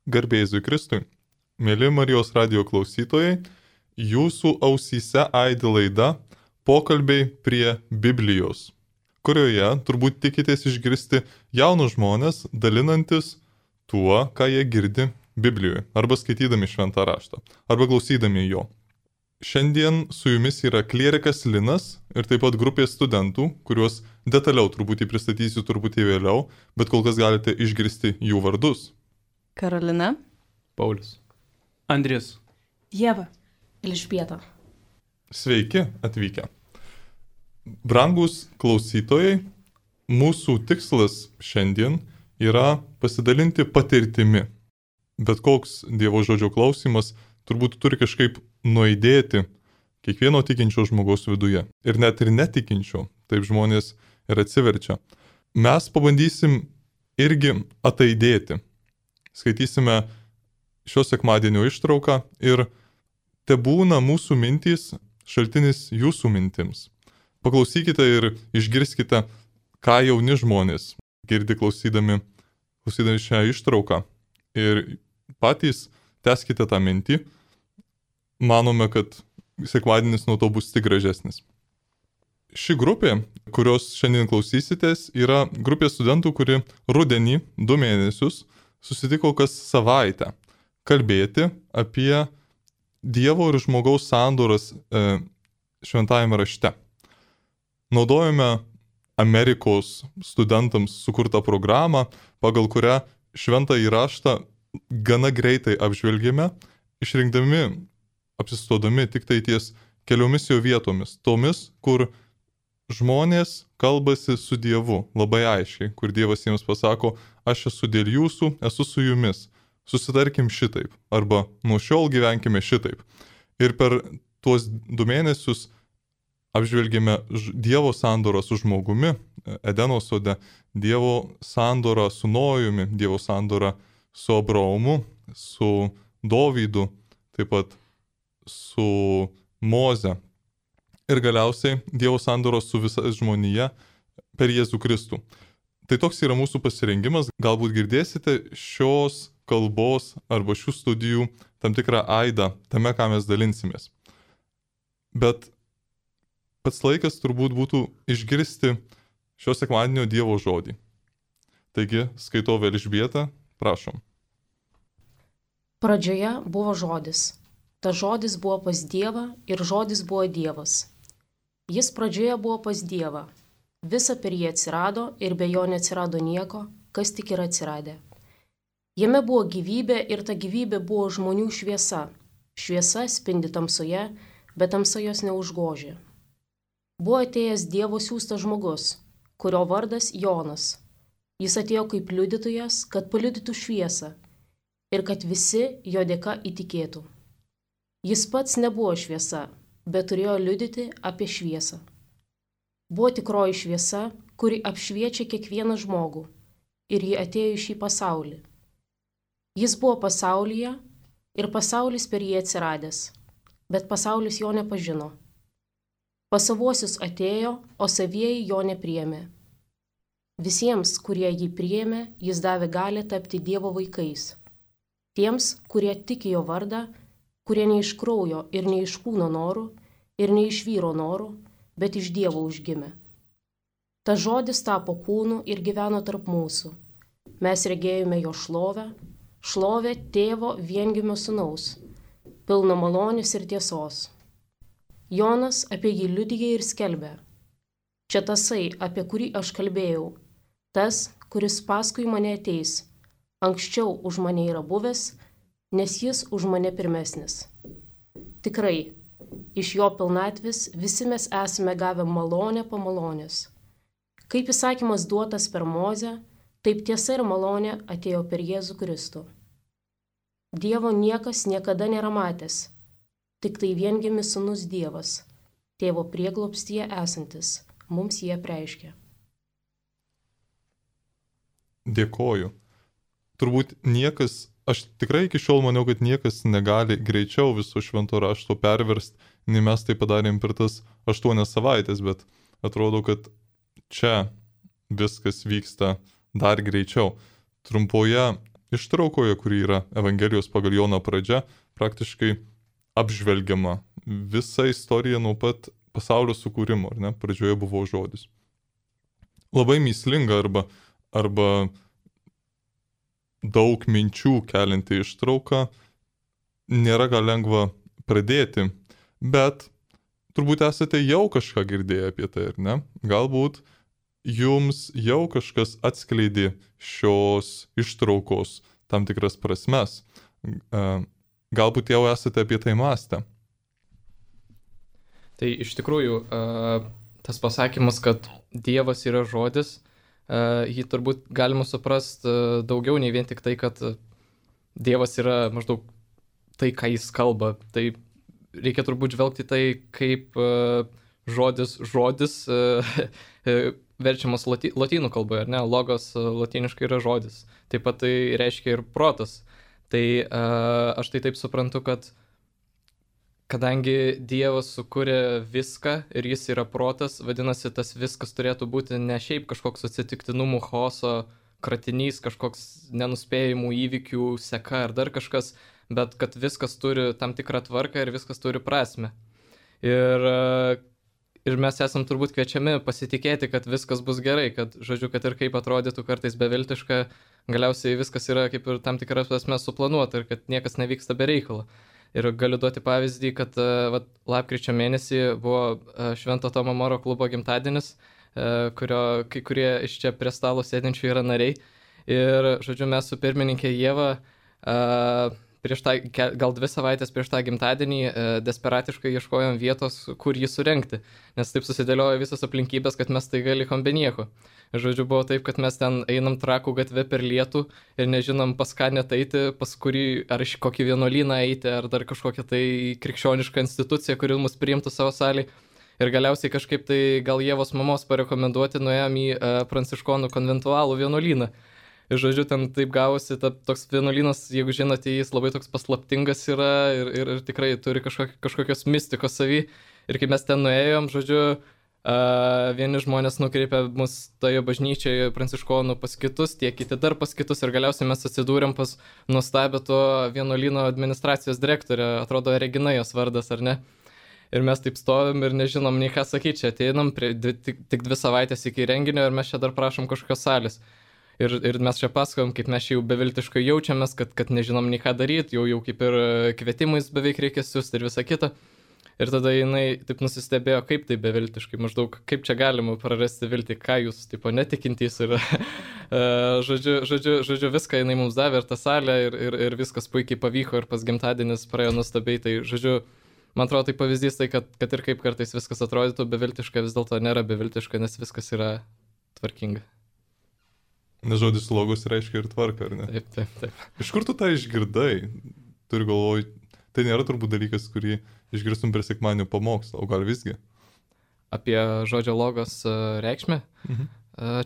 Garbė Jėzui Kristui. Mėly Marijos radio klausytojai, jūsų ausyse aidi laida Pokalbiai prie Biblijos, kurioje turbūt tikitės išgirsti jaunus žmonės dalinantis tuo, ką jie girdi Biblijoje, arba skaitydami šventą raštą, arba klausydami jo. Šiandien su jumis yra klierikas Linas ir taip pat grupė studentų, kuriuos detaliau truputį pristatysiu truputį vėliau, bet kol kas galite išgirsti jų vardus. Karolina, Paulius, Andrius, Ieva, Elžbieta. Sveiki atvykę. Brangus klausytojai, mūsų tikslas šiandien yra pasidalinti patirtimi. Bet koks Dievo žodžio klausimas turbūt turi kažkaip nuaidėti kiekvieno tikinčio žmogaus viduje. Ir net ir netikinčio, taip žmonės ir atsiverčia. Mes pabandysim irgi ataidėti. Skaitysime šio sekmadienio ištrauką ir tebūna mūsų mintys šaltinis jūsų mintims. Paklausykite ir išgirskite, ką jauni žmonės girdi klausydami šią ištrauką. Ir patys tęskite tą mintį. Manome, kad sekmadienis nuo to bus tik gražesnis. Ši grupė, kurios šiandien klausysitės, yra grupė studentų, kuri rudenį 2 mėnesius susitiko kas savaitę kalbėti apie Dievo ir žmogaus sandoras šventajame rašte. Naudojame Amerikos studentams sukurtą programą, pagal kurią šventąjį raštą gana greitai apžvelgėme, išrinkdami, apsistodami tik tai ties keliomis jo vietomis, tomis, kur žmonės kalbasi su Dievu labai aiškiai, kur Dievas jiems pasako, aš esu dėl jūsų, esu su jumis, susitarkim šitaip, arba nuo šiol gyvenkime šitaip. Ir per tuos 2 mėnesius apžvelgėme Dievo sandorą su žmogumi, Edeno sode, Dievo sandorą su Nojumi, Dievo sandorą su Abraomu, su Dovydu, taip pat su Moze. Ir galiausiai Dievo sandoros su visa žmonija per Jėzų Kristų. Tai toks yra mūsų pasirengimas. Galbūt girdėsite šios kalbos arba šių studijų tam tikrą aidą tame, ką mes dalinsimės. Bet pats laikas turbūt būtų išgirsti šio sekmadienio Dievo žodį. Taigi, skaitau Elžbieta, prašom. Pradžioje buvo žodis. Ta žodis buvo pas Dievą ir žodis buvo Dievas. Jis pradžioje buvo pas Dievą. Visa per jį atsirado ir be jo neatsirado nieko, kas tik yra atsiradę. Jame buvo gyvybė ir ta gyvybė buvo žmonių šviesa. Šviesa spindi tamsoje, bet tamsa jos neužgožė. Buvo atėjęs Dievo siųstas žmogus, kurio vardas Jonas. Jis atėjo kaip liudytojas, kad paliudytų šviesą ir kad visi jo dėka įtikėtų. Jis pats nebuvo šviesa, bet turėjo liudyti apie šviesą. Buvo tikroji šviesa, kuri apšviečia kiekvieną žmogų, ir ji atėjo į šį pasaulį. Jis buvo pasaulyje ir pasaulis per jį atsiradęs, bet pasaulis jo nepažino. Pas savuosius atėjo, o savieji jo nepriėmė. Visiems, kurie jį priėmė, jis davė galią tapti Dievo vaikais. Tiems, kurie tiki jo vardą, kurie ne iš kraujo ir ne iš kūno norų, ir ne iš vyro norų, bet iš Dievo užgimė. Ta žodis tapo kūnu ir gyveno tarp mūsų. Mes regėjome jo šlovę, šlovę tėvo viengimio sūnaus, pilno malonės ir tiesos. Jonas apie jį liudija ir skelbė. Čia tasai, apie kurį aš kalbėjau, tas, kuris paskui mane ateis, anksčiau už mane yra buvęs, nes jis už mane pirmesnis. Tikrai, iš jo pilnatvės visi mes esame gavę malonę po malonės. Kaip įsakymas duotas per Mozę, taip tiesa ir malonė atėjo per Jėzų Kristų. Dievo niekas niekada nėra matęs, tik tai viengimis sūnus Dievas, tėvo prieglobstyje esantis, mums jį apreiškė. Dėkoju. Turbūt niekas, aš tikrai iki šiol maniau, kad niekas negali greičiau viso švento rašto perverst, nei mes tai padarėm per tas 8 savaitės, bet atrodo, kad čia viskas vyksta dar greičiau. Trumpoje ištraukoje, kuri yra Evangelijos pagal Joną pradžia, praktiškai apžvelgiama visa istorija nuo pat pasaulio sukūrimo, ar ne? Pradžioje buvo žodis. Labai mįslinga arba daug minčių kelinti ištrauką, nėra gal lengva pradėti, bet turbūt esate jau kažką girdėję apie tai, ar ne? Galbūt jums jau kažkas atskleidė šios ištraukos tam tikras prasmes. Galbūt jau esate apie tai mąstę. Tai iš tikrųjų, tas pasakymas, kad Dievas yra žodis, jį turbūt galima suprasti daugiau nei vien tik tai, kad Dievas yra maždaug tai, ką jis kalba. Tai reikia turbūt žvelgti tai, kaip žodis verčiamas lotynų kalboje, ar ne? Logos lotyniškai yra žodis. Taip pat tai reiškia ir protas. Tai aš tai taip suprantu, kad kadangi Dievas sukūrė viską ir jis yra protas, vadinasi, tas viskas turėtų būti ne šiaip kažkoks atsitiktinumų chaoso kratinys, kažkoks nenuspėjimų įvykių seka ar dar kažkas, bet kad viskas turi tam tikrą tvarką ir viskas turi prasmę. Ir mes esam turbūt kviečiami pasitikėti, kad viskas bus gerai, kad, žodžiu, kad ir kaip atrodytų kartais beviltiška, galiausiai viskas yra kaip ir tam tikras prasme suplanuota ir kad niekas nevyksta be reikalo. Ir galiu duoti pavyzdį, kad lapkričio mėnesį buvo Švento Tomo Moro klubo gimtadienis, kurio kai kurie iš čia prie stalo sėdinčių yra nariai. Ir, žodžiu, mes su pirmininkė Ieva gal 2 savaitės prieš tą gimtadienį desperatiškai ieškojom vietos, kur jį surengti, nes taip susidėliojo visas aplinkybės, kad mes staiga likom be nieko. Žodžiu, buvo taip, kad mes ten einam Trakų gatve per lietų ir nežinom pas ką net eiti, pas kurį, ar iš kokį vienuolyną eiti, ar dar kažkokią tai krikščionišką instituciją, kuri mus priimtų savo salį. Ir galiausiai kažkaip tai gal Ievos mamos parekomenduoti nuėjom į pranciškonų konventualų vienuolyną. Ir žodžiu, ten taip gavosi, toks vienuolynas, jeigu žinote, jis labai toks paslaptingas yra ir tikrai turi kažkokios mistikos savy. Ir kai mes ten nuėjom, žodžiu, vieni žmonės nukreipė mus toje bažnyčioje pranciškonų pas kitus, tie kiti dar pas kitus ir galiausiai mes atsidūrėm pas nuostabę to vienuolyno administracijos direktorę, atrodo Regina jos vardas, ar ne? Ir mes taip stovim ir nežinom nei ką sakyti, čia ateinam tik 2 savaitės iki renginio ir mes čia dar prašom kažkokios salės. Ir mes čia pasakojom, kaip mes jau beviltiškai jaučiamės, kad nežinom nei ką daryti, jau kaip ir kvietimais beveik reikia siųsti ir visą kitą. Ir tada jinai taip nusistebėjo, kaip tai beviltiškai, maždaug kaip čia galima prarasti viltį, ką jūs tipo netikintys ir žodžiu viską jinai mums davė ir tą salę ir viskas puikiai pavyko ir pas gimtadienis praėjo nuostabiai. Tai žodžiu, man atrodo tai pavyzdys tai, kad ir kaip kartais viskas atrodytų beviltiška, vis dėlto nėra beviltiška, nes viskas yra tvarkinga. Nes žodis logos reiškia ir tvarka, ar ne? Taip. Iš kur tu tą išgirdai? Turiu galvoj, tai nėra turbūt dalykas, kurį išgirstum per sekmadienio pamokslą, o gal visgi? Apie žodžio logos reikšmę? Mhm.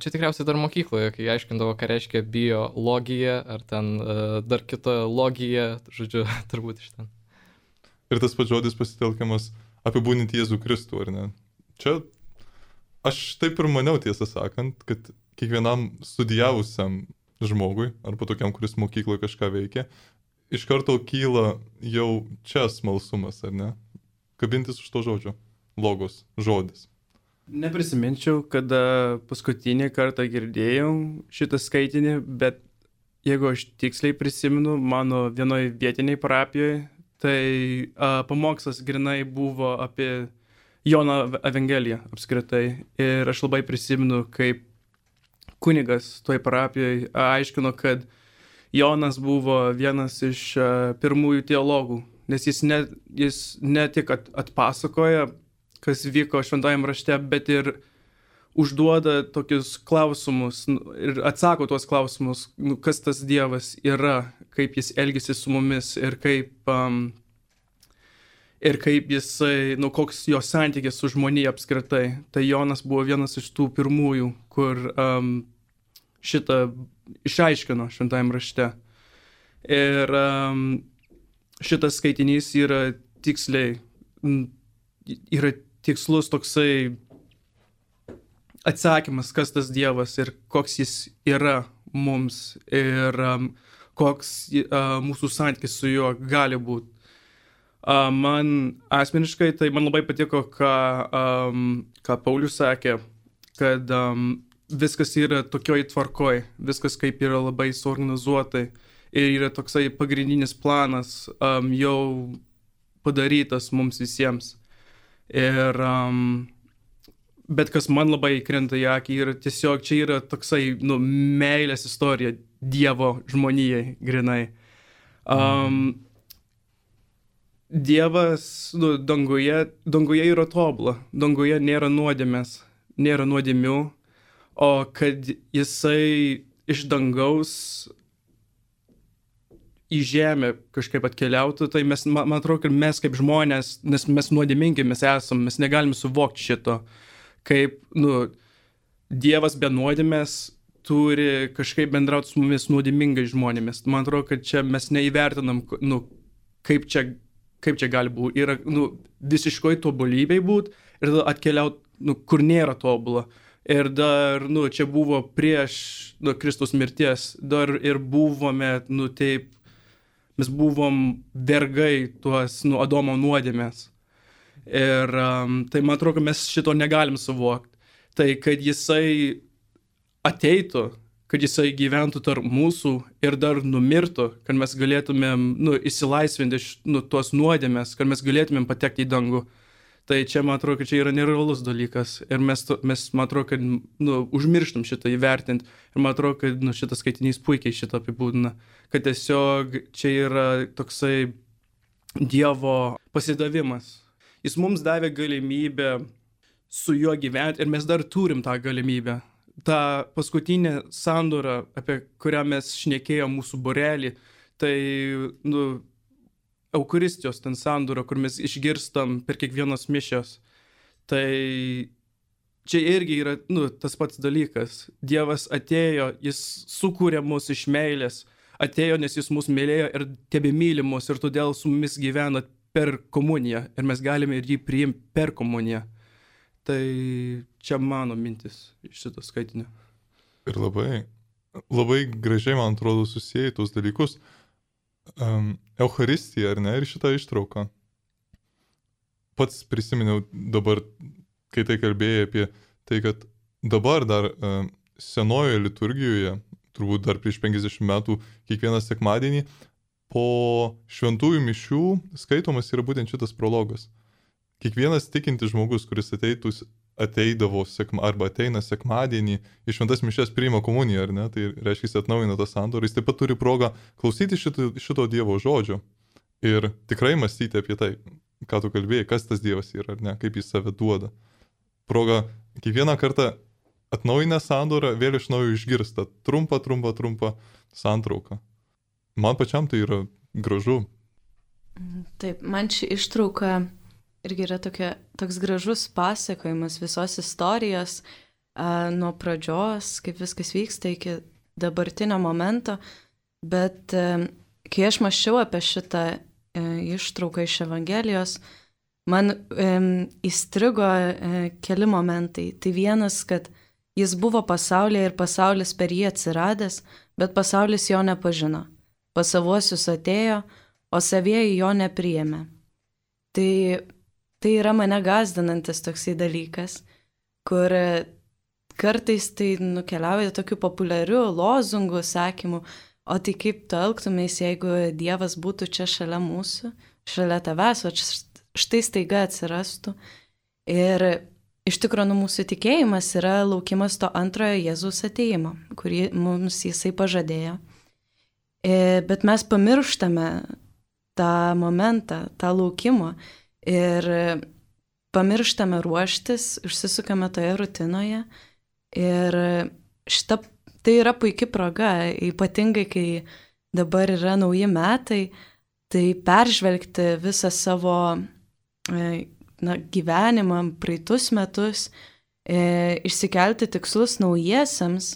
Čia tikriausiai dar mokykloje, kai aiškindavo, ką reiškia biologija, ar ten dar kita logija, žodžiu, turbūt iš ten. Ir tas pats žodis pasitelkiamas apibūdinti Jėzų Kristų, ar ne? Čia aš taip ir maniau, tiesą sakant, kad kiekvienam studijavusiam žmogui, arba tokiam, kuris mokykloje kažką veikia, iš karto kyla jau čia smalsumas, ar ne? Kabintis už to žodžio. Logos, žodis. Neprisiminčiau, kada paskutinį kartą girdėjau šitą skaitinį, bet jeigu aš tiksliai prisimenu, mano vienoje vietiniai parapijoje, tai pamokslas grinai buvo apie Jono Evangeliją apskritai. Ir aš labai prisimenu, kaip kunigas toj parapijoje aiškino, kad Jonas buvo vienas iš pirmųjų teologų, nes jis ne tik atpasakoja, kas vyko šventajame rašte, bet ir užduoda tokius klausimus ir atsako tuos klausimus, kas tas Dievas yra, kaip jis elgiasi su mumis ir kaip jisai, koks jo santykis su žmonija apskritai. Tai Jonas buvo vienas iš tų pirmųjų, kur šitą išaiškino šventajame rašte. Ir šitas skaitinys yra tikslus toksai atsakymas, kas tas Dievas ir koks jis yra mums ir koks mūsų santykis su juo gali būti. Man asmeniškai tai man labai patiko, ką Paulius sakė, kad viskas yra tokioj tvarkoj, viskas kaip yra labai suorganizuotai ir yra toksai pagrindinis planas jau padarytas mums visiems. Ir bet kas man labai krenta į akį yra tiesiog, čia yra toksai meilės istorija Dievo žmonijai grinai. Dievas danguje yra tobula, danguje nėra nuodėmės, nėra nuodėmių, o kad jisai iš dangaus į žemę kažkaip atkeliautų, tai man atrodo, kad mes kaip žmonės, nes mes nuodėmingi mes esam, mes negalim suvokti šito, kaip, Dievas be nuodėmės turi kažkaip bendrauti su mumis nuodėmingai žmonėmis. Man atrodo, kad čia mes neįvertinam, kaip čia gali būti. Yra, visiškoj tobulybei būti ir atkeliauti, kur nėra tobula. Ir dar, čia buvo prieš Kristaus mirties, dar ir buvome, taip, mes buvom vergai tuos Adomo nuodėmės. Ir tai man atrodo, kad mes šito negalim suvokti. Tai kad jisai ateitų, kad jisai gyventų tarp mūsų ir dar numirtų, kad mes galėtumėm įsilaisvinti iš tos nuodėmės, kad mes galėtumėm patekti į dangų. Tai čia man atrodo, kad čia yra nerealus dalykas. Ir mes man atrodo, kad užmirštum šitą įvertinti. Ir man atrodo, kad šitas skaitinys puikiai šitą apibūdina. Kad tiesiog čia yra toksai Dievo pasidavimas. Jis mums davė galimybę su juo gyventi ir mes dar turim tą galimybę. Ta paskutinė sandora, apie kurią mes šnekėjom mūsų būrelį, tai Eucharistijos ten sandora, kur mes išgirstam per kiekvienos mišios. Tai čia irgi yra tas pats dalykas. Dievas atėjo, jis sukūrė mus iš meilės, atėjo, nes jis mus mylėjo ir tebemyli mus ir todėl su mumis gyvena per komuniją ir mes galime ir jį priimti per komuniją. Tai čia mano mintis iš šito skaitinio. Ir labai gražiai, man atrodo, susijai tos dalykus. Eucharistija, ar ne, ir šitą ištrauką. Pats prisiminiau dabar, kai tai kalbėjai apie tai, kad dabar dar senojoje liturgijoje, turbūt dar prieš 50 metų, kiekvieną sekmadienį, po šventųjų mišių skaitomas yra būtent šitas prologas. Kiekvienas tikintis žmogus, kuris ateidavo arba ateina sekmadienį, iš šventas mišias priima komuniją, ar ne, tai reiškia, jis atnaujina tą sandorą, jis taip pat turi progą klausyti šito Dievo žodžio ir tikrai mąstyti apie tai, ką tu kalbėjai, kas tas Dievas yra, ar ne, kaip jis save duoda. Proga kiekvieną kartą atnaujinę sandorą vėl iš naujo išgirsta trumpą santrauką. Man pačiam tai yra gražu. Taip, man ši ištrauka irgi yra toks gražus pasakojimas visos istorijos nuo pradžios, kaip viskas vyksta iki dabartinio momento, bet kai aš mąsčiau apie šitą ištrauką iš Evangelijos, man įstrigo keli momentai. Tai vienas, kad jis buvo pasaulyje ir pasaulis per jį atsiradęs, bet pasaulis jo nepažino. Pas savuosius atėjo, o savieji jo nepriėmė. Tai yra mane gąsdinantis toksai dalykas, kur kartais tai nukeliauja tokiu populiariu lozungu, sakymu, o tai kaip tu elgtumės, jeigu Dievas būtų čia šalia mūsų, šalia tavęs, o štai staiga atsirastų. Ir iš tikrųjų mūsų tikėjimas yra laukimas to antrojo Jėzaus atėjimo, kurį mums jisai pažadėjo. Bet mes pamirštame tą momentą, tą laukimą ir pamirštame ruoštis, užsisukame toje rutinoje ir tai yra puikia proga, ypatingai kai dabar yra nauji metai, tai peržvelgti visą savo gyvenimą, praeitus metus, išsikelti tikslus naujiesiams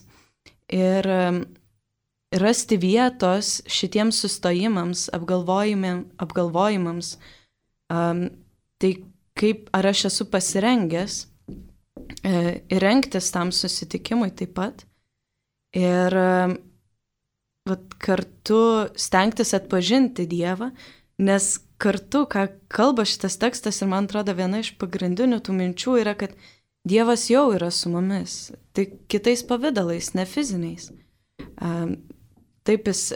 ir rasti vietos šitiems sustojimams, apgalvojimams, tai kaip ar aš esu pasirengęs ir rengtis tam susitikimui taip pat. Ir kartu stengtis atpažinti Dievą, nes kartu, ką kalba šitas tekstas ir man atrodo viena iš pagrindinių tų minčių yra, kad Dievas jau yra su mumis, tik kitais pavydalais, ne fiziniais. Taip jis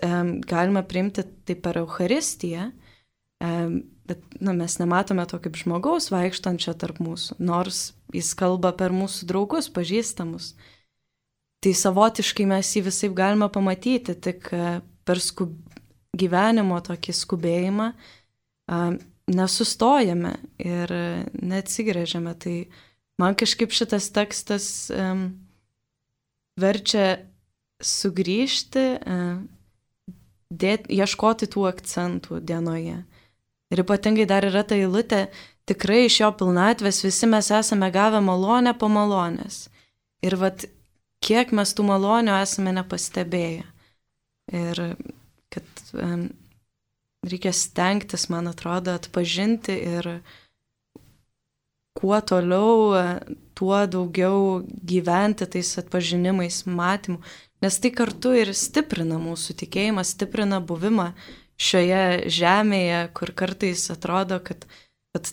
galima priimti tai per Eucharistiją, bet mes nematome to kaip žmogaus vaikštančio tarp mūsų, nors jis kalba per mūsų draugus, pažįstamus. Tai savotiškai mes jį visaip galime pamatyti, tik per gyvenimo tokį skubėjimą nesustojame ir neatsigrėžiame. Tai man kažkaip šitas tekstas verčia sugrįžti, ieškoti tų akcentų dienoje. Ir ypatingai dar yra ta eilutė, tikrai iš jo pilnatvės visi mes esame gavę malonę po malonės. Ir kiek mes tų malonių esame nepastebėję. Ir kad reikia stengtis, man atrodo, atpažinti ir kuo toliau, tuo daugiau gyventi tais atpažinimais, matymų. Nes tai kartu ir stiprina mūsų tikėjimą, stiprina buvimą šioje žemėje, kur kartais atrodo, kad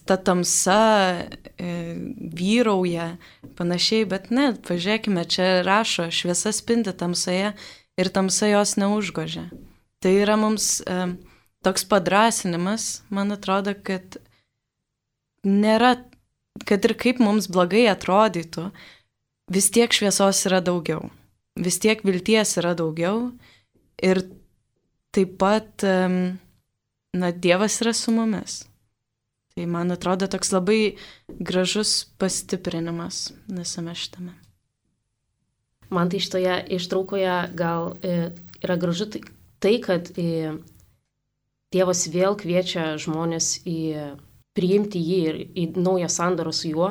ta tamsa vyrauja panašiai, bet ne, pažiūrėkime, čia rašo, šviesa spindi tamsoje ir tamsa jos neužgožia. Tai yra mums toks padrasinimas, man atrodo, kad nėra, kad ir kaip mums blogai atrodytų, vis tiek šviesos yra daugiau, vis tiek vilties yra daugiau ir taip pat, Dievas yra su mumis. Tai man atrodo toks labai gražus pastiprinimas visame šitame. Man tai šitoje ištraukoje gal yra gražu tai, kad Dievas vėl kviečia žmonės priimti jį ir į naują sandorą su juo.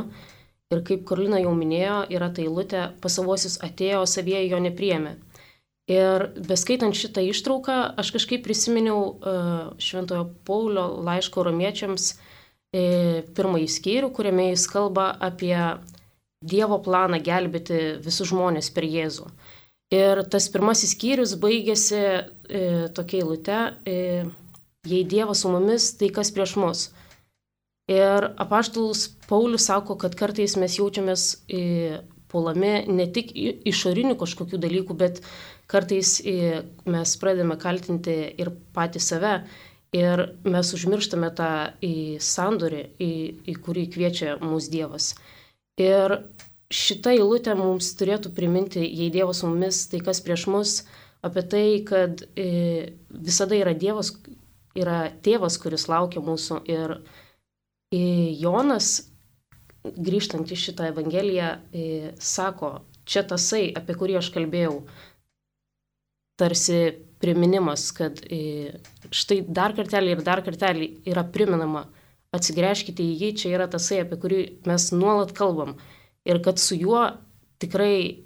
Ir kaip Karolina jau minėjo, yra ta eilutė, pas savuosius atėjo, savieji jo nepriėmė. Ir beskaitant šitą ištrauką, aš kažkaip prisiminiau Šventojo Paulio laiško romiečiams pirmąjį skyrių, kuriame jis kalba apie Dievo planą gelbėti visus žmonės per Jėzų. Ir tas pirmasis skyrius baigėsi tokia eilute, jei Dievas su mumis, tai kas prieš mus. Ir apaštalas Paulius sako, kad kartais mes jaučiamės puolami ne tik išorinių kažkokių dalykų, bet kartais mes pradedame kaltinti ir patį save. Ir mes užmirštame tą sandorį, į kurį kviečia mūsų Dievas. Ir šita eilutė mums turėtų priminti, jei Dievas su mumis, tai kas prieš mus, apie tai, kad visada yra Dievas, yra tėvas, kuris laukia mūsų. Ir Jonas, grįžtant į šitą Evangeliją, sako, čia tasai, apie kurį aš kalbėjau, tarsi priminimas, kad štai dar kartelį ir dar kartelį yra priminama, atsigręžkite į jį, čia yra tasai, apie kurį mes nuolat kalbam. Ir kad su juo tikrai,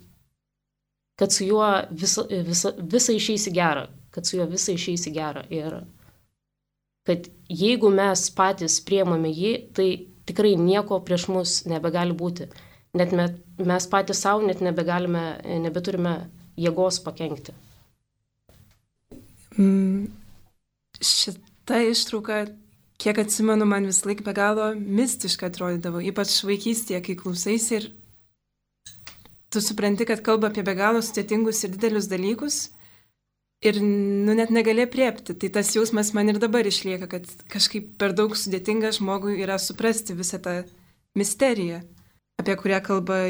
kad su juo visa išeisi gerą, kad su juo visa išeisi gerą. Ir kad jeigu mes patys priemame jį, tai tikrai nieko prieš mus nebegali būti. Net mes patys savo net nebeturime jėgos pakenkti. Šita ištrauka, kiek atsimenu, man vis laik be galo mistiška atrodydavo, ypač vaikystėje, kai klausaisi ir tu supranti, kad kalba apie be galo sudėtingus ir didelius dalykus ir net negali apriepti. Tai tas jausmas man ir dabar išlieka, kad kažkaip per daug sudėtinga žmogui yra suprasti visą tą misteriją, apie kurią kalba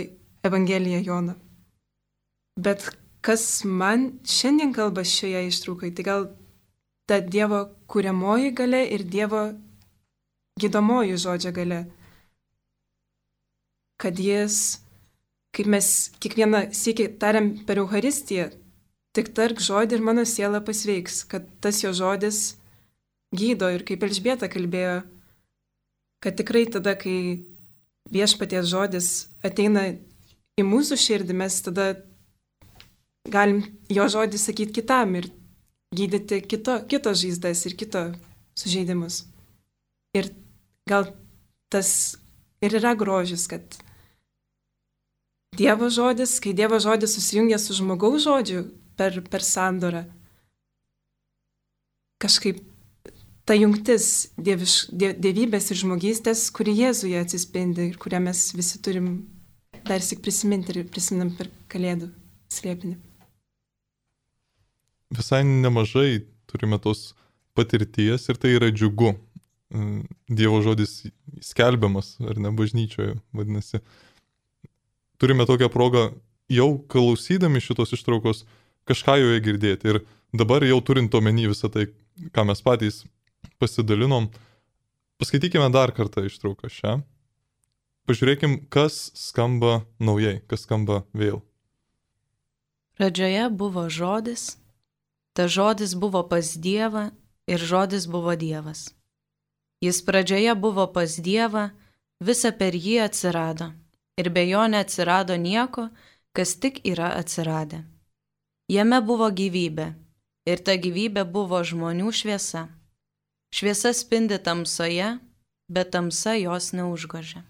Evangelija Jono. Bet kas man šiandien kalba šioje ištraukai, tai gal ta Dievo kuriamoji galia ir Dievo gydomoji žodžio galia. Kad jis, kaip mes kiekvieną sykį tariam per Eucharistiją, tik tark žodį ir mano siela pasveiks, kad tas jo žodis gydo ir kaip Elžbieta kalbėjo, kad tikrai tada, kai viešpaties žodis ateina į mūsų širdį, mes tada galim jo žodį sakyti kitam ir gydyti kito žaizdas ir kito sužeidimus. Ir gal tas ir yra grožis, kad Dievo žodis, kai Dievo žodis susijungia su žmogaus žodžiu per sandorą, kažkaip ta jungtis dievybės ir žmogystės, kuri Jėzuje atsispindi ir kurią mes visi turim dar sik prisiminti ir prisiminam per Kalėdų slėpinį. Visai nemažai turime tos patirties ir tai yra džiugu. Dievo žodis skelbiamas, ar ne, bažnyčioje, vadinasi. Turime tokią progą jau klausydami šitos ištraukos kažką joje girdėti. Ir dabar jau turint omeny visą tai, ką mes patys pasidalinom, paskaitykime dar kartą ištrauką šią. Pažiūrėkim, kas skamba naujai, kas skamba vėl. Pradžioje buvo žodis, ta žodis buvo pas Dievą ir žodis buvo Dievas. Jis pradžioje buvo pas Dievą, visa per jį atsirado, ir be jo neatsirado nieko, kas tik yra atsiradę. Jame buvo gyvybė, ir ta gyvybė buvo žmonių šviesa. Šviesa spindi tamsoje, bet tamsa jos neužgožia.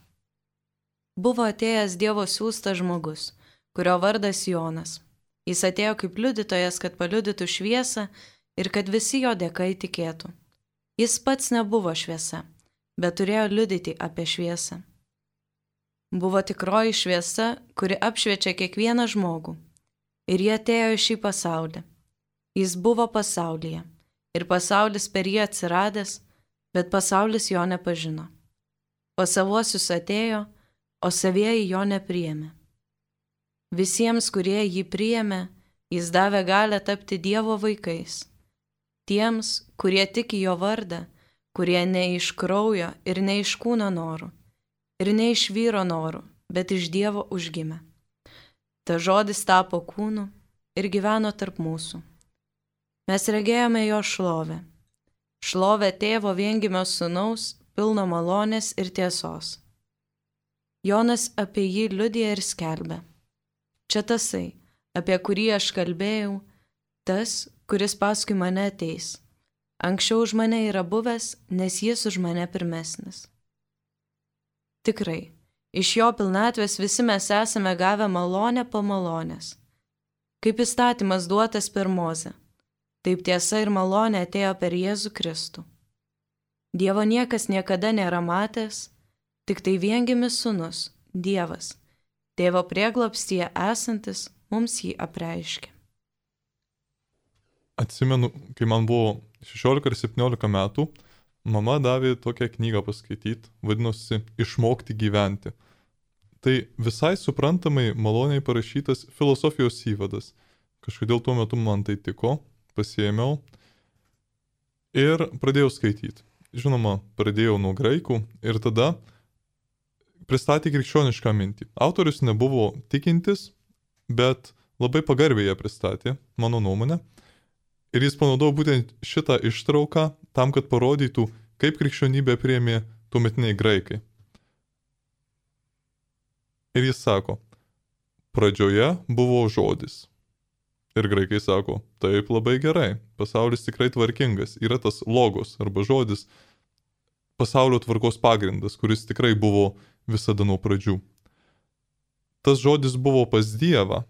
Buvo atėjęs Dievo siųstas žmogus, kurio vardas Jonas. Jis atėjo kaip liudytojas, kad paliudytų šviesą ir kad visi jo dėka įtikėtų. Jis pats nebuvo šviesa, bet turėjo liudyti apie šviesą. Buvo tikroji šviesa, kuri apšviečia kiekvieną žmogų. Ir jie atėjo į šį pasaulį. Jis buvo pasaulyje, ir pasaulis per jį atsiradęs, bet pasaulis jo nepažino. Pas savuosius atėjo, o savieji jo nepriėmė. Visiems, kurie jį priėmė, jis davė galią tapti Dievo vaikais. Tiems, kurie tiki jo vardą, kurie ne iš kraujo ir ne iš kūno norų, ir ne iš vyro norų, bet iš Dievo užgimė. Ta žodis tapo kūnu ir gyveno tarp mūsų. Mes regėjome jo šlovę. Šlovę tėvo viengimio sūnaus, pilno malonės ir tiesos. Jonas apie jį liudija ir skelbia. Čia tasai, apie kurį aš kalbėjau, tas, kuris paskui mane ateis. Anksčiau už mane yra buvęs, nes jis už mane pirmesnis. Tikrai, iš jo pilnatvės visi mes esame gavę malonę po malonės. Kaip įstatymas duotas per Mozę, taip tiesa ir malonė atėjo per Jėzų Kristų. Dievo niekas niekada nėra matęs, tik tai viengimis sūnus, Dievas, tėvo prieglobstyje esantis, mums jį apreiškė. Atsimenu, kai man buvo 16 ir 17 metų, mama davė tokią knygą paskaityti, vadinosi Išmokti gyventi. Tai visai suprantamai maloniai parašytas filosofijos įvadas. Kažkodėl tuo metu man tai tiko, pasiėmiau ir pradėjau skaityti. Žinoma, pradėjau nuo graikų ir tada pristatė krikščionišką mintį. Autorius nebuvo tikintis, bet labai pagarbiai ją pristatė, mano nuomonė. Ir jis panaudojo būtent šitą ištrauką tam, kad parodytų, kaip krikščionybę priėmė tuometiniai graikai. Ir jis sako, pradžioje buvo žodis. Ir graikai sako, taip labai gerai, pasaulis tikrai tvarkingas, yra tas logos arba žodis, pasaulio tvarkos pagrindas, kuris tikrai buvo visada nuo pradžių. Tas žodis buvo pas Dievą.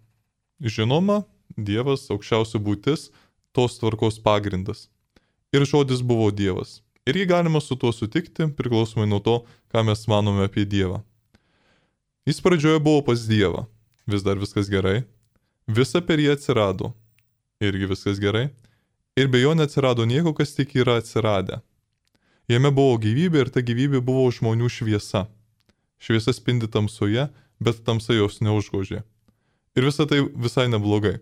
Žinoma, Dievas, aukščiausia būtis, tos tvarkos pagrindas. Ir žodis buvo Dievas. Ir jį galima su tuo sutikti, priklausomai nuo to, ką mes manome apie Dievą. Jis pradžioje buvo pas Dievą. Vis dar viskas gerai. Visa per jį atsirado. Irgi viskas gerai. Ir be jo neatsirado nieko, kas tik yra atsiradę. Jame buvo gyvybė ir ta gyvybė buvo žmonių šviesa. Šviesa spindi tamsoje, bet tamsa jos neužgožė. Ir visa tai visai neblogai.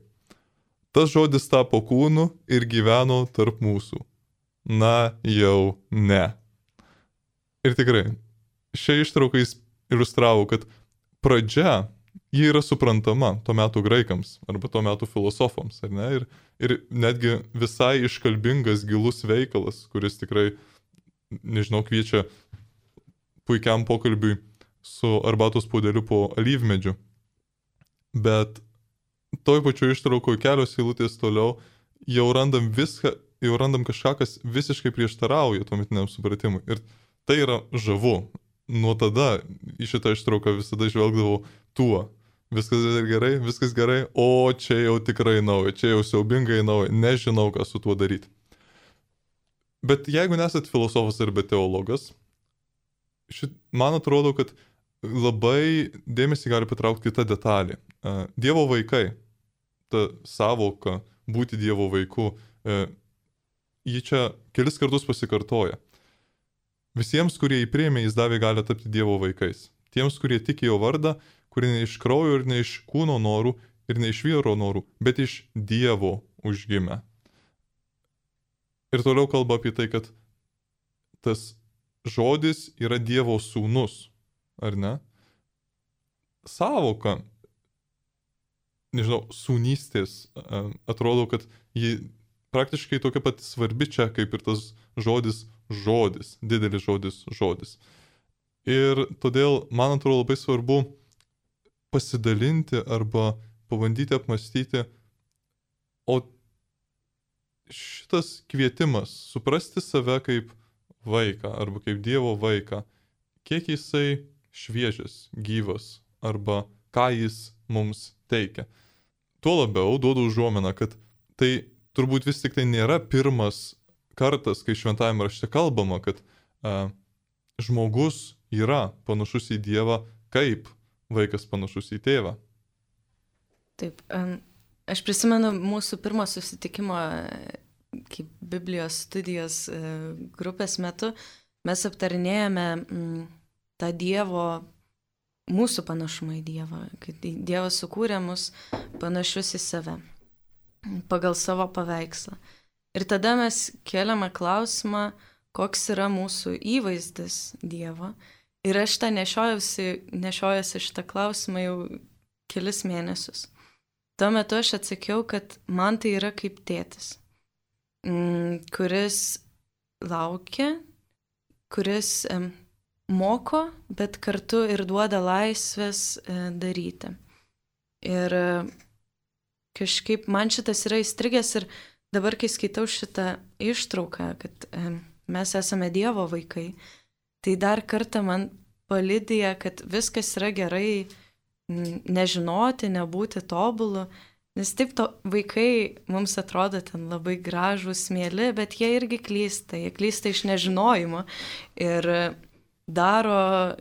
Tas žodis tapo kūnu ir gyveno tarp mūsų. Na, jau ne. Ir tikrai, šia ištrauka jis iliustravo, kad pradžia, ji yra suprantama to metų graikams arba to metų filosofams, ar ne? Ir netgi visai iškalbingas, gilus veikalas, kuris tikrai, nežinau, kviečia puikiam pokalbiui su arbatos puodeliu po alyvmedžiu. Bet toj pačioj ištraukoje kelios eilutės toliau jau randam kažką, kas visiškai prieštarauja tuometiniam supratimui. Ir tai yra žavu. Nuo tada į šitą ištrauką visada žvelgdavau tuo. Viskas gerai, o čia jau tikrai nauja, čia jau siaubingai nauja, nežinau, ką su tuo daryti. Bet jeigu nesat filosofas arba teologas, man atrodo, kad labai dėmesį gali patraukti kita detalė. Dievo vaikai, ta savoka būti Dievo vaiku, ji čia kelis kartus pasikartoja. Visiems, kurie jį priėmė, jis davė gali tapti Dievo vaikais. Tiems, kurie tiki jo vardą, kurie ne iš kraujo ir ne iš kūno norų ir ne iš vyro norų, bet iš Dievo užgimė. Ir toliau kalba apie tai, kad tas žodis yra Dievo sūnus, ar ne? Savoka, nežinau, sūnystės, atrodo, kad ji praktiškai tokia pat svarbi čia, kaip ir tas žodis, didelis žodis. Ir todėl, man atrodo, labai svarbu pasidalinti arba pabandyti apmastyti, o šitas kvietimas suprasti save kaip vaiką arba kaip Dievo vaiką, kiek jisai šviežias, gyvas arba ką jis mums teikia. Tuo labiau duodu užuominą, kad tai turbūt vis tik tai nėra pirmas kartas, kai šventajame rašte kalbama, kad žmogus yra panašus į Dievą, kaip vaikas panašus į tėvą. Taip, aš prisimenu mūsų pirmo susitikimo kaip Biblijos studijos grupės metu, mes aptarinėjome tą Dievo, mūsų panašumą į Dievą, kad Dievas sukūrė mus panašius į save, pagal savo paveikslą. Ir tada mes keliame klausimą, koks yra mūsų įvaizdis Dievo. Ir aš tą nešiojuosi šitą klausimą jau kelis mėnesius. Tuo metu aš atsakiau, kad man tai yra kaip tėtis, kuris laukia, kuris moko, bet kartu ir duoda laisvės daryti. Ir kažkaip man šitas yra įstrigęs ir dabar, kai skaitau šitą ištrauką, kad mes esame Dievo vaikai, tai dar kartą man palydija, kad viskas yra gerai nežinoti, nebūti tobulu, nes taip vaikai mums atrodo ten labai gražūs, mėly, bet jie irgi klysta, jie klysta iš nežinojimo ir daro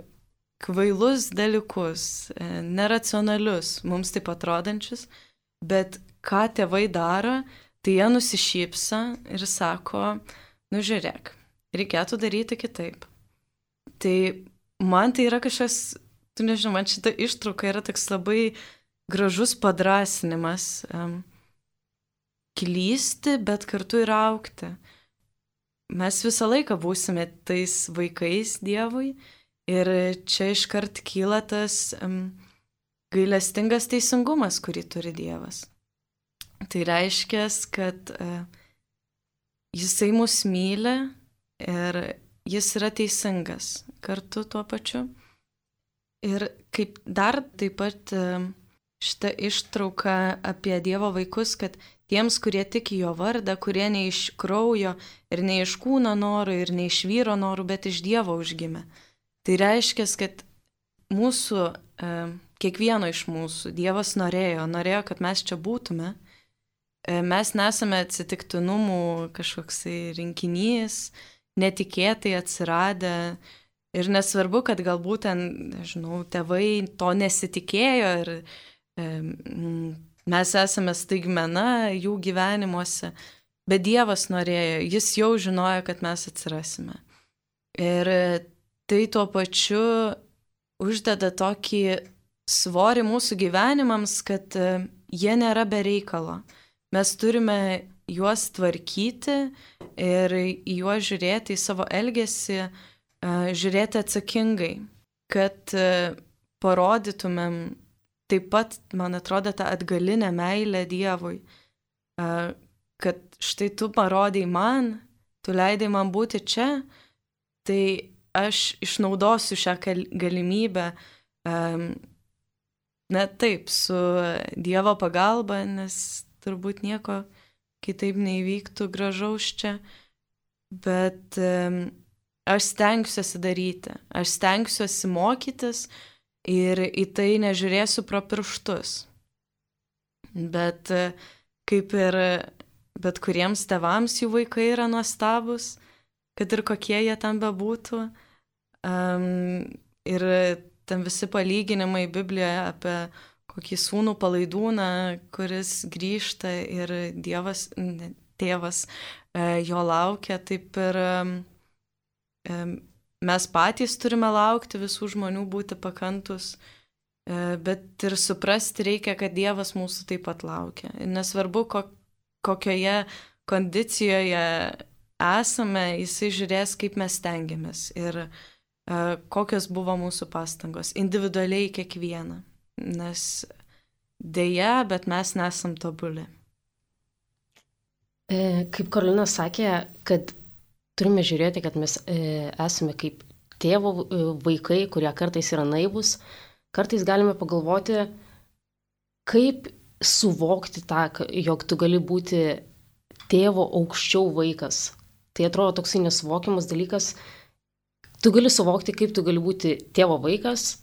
kvailus dalykus, neracionalius, mums taip atrodančius, bet ką tėvai daro, tai jie nusišypsa ir sako, nu žiūrėk, reikėtų daryti kitaip. Tai man tai yra kažkas, tu nežinau, man šita ištrauka yra toks labai gražus padrasinimas klysti, bet kartu ir augti. Mes visą laiką būsime tais vaikais Dievui ir čia iškart kyla tas gailestingas teisingumas, kurį turi Dievas. Tai reiškia, kad jisai mus myli ir jis yra teisingas kartu tuo pačiu. Ir kaip dar taip pat šitą ištrauką apie Dievo vaikus, kad tiems, kurie tiki jo vardą, kurie ne iš kraujo ir ne iš kūno norų ir ne iš vyro norų, bet iš Dievo užgimė. Tai reiškia, kad mūsų, kiekvieno iš mūsų Dievas norėjo, kad mes čia būtume. Mes nesame atsitiktinumų kažkoksai rinkinys, netikėtai atsiradę. Ir nesvarbu, kad galbūt ten, nežinau, tėvai to nesitikėjo ir mes esame staigmena jų gyvenimuose, bet Dievas norėjo, jis jau žinojo, kad mes atsirasime. Ir tai tuo pačiu uždeda tokį svorį mūsų gyvenimams, kad jie nėra be reikalo. Mes turime juos tvarkyti ir į juos žiūrėti, į savo elgesį, žiūrėti atsakingai, kad parodytumėm taip pat, man atrodo, tą atgalinę meilę Dievui, kad štai tu parodai man, tu leidai man būti čia, tai aš išnaudosiu šią galimybę, na taip, su Dievo pagalba, nes turbūt nieko kitaip neįvyktų gražaus čia, bet aš stengsiuosi daryti, aš stengsiuosi mokytis ir į tai nežiūrėsiu pro pirštus. Bet kaip ir bet kuriems tėvams jų vaikai yra nuostabus, kad ir kokie jie ten bebūtų. Ir ten visi palyginimai Biblijoje apie kokį sūnų palaidūną, kuris grįžta ir Dievas, tėvas jo laukia, taip ir mes patys turime laukti visų žmonių, būti pakantus, bet ir suprasti reikia, kad Dievas mūsų taip pat laukia. Ir nesvarbu, kokioje kondicijoje esame, jisai žiūrės, kaip mes stengiamės ir kokios buvo mūsų pastangos, individualiai kiekvieną. Nes dėja, bet mes nesam tobuli. Kaip Karolina sakė, kad turime žiūrėti, kad mes esame kaip tėvo vaikai, kurie kartais yra naivus, kartais galime pagalvoti, kaip suvokti tą, jog tu gali būti tėvo aukščiau vaikas. Tai atrodo toksai nesuvokiamas dalykas. Tu gali suvokti, kaip tu gali būti tėvo vaikas,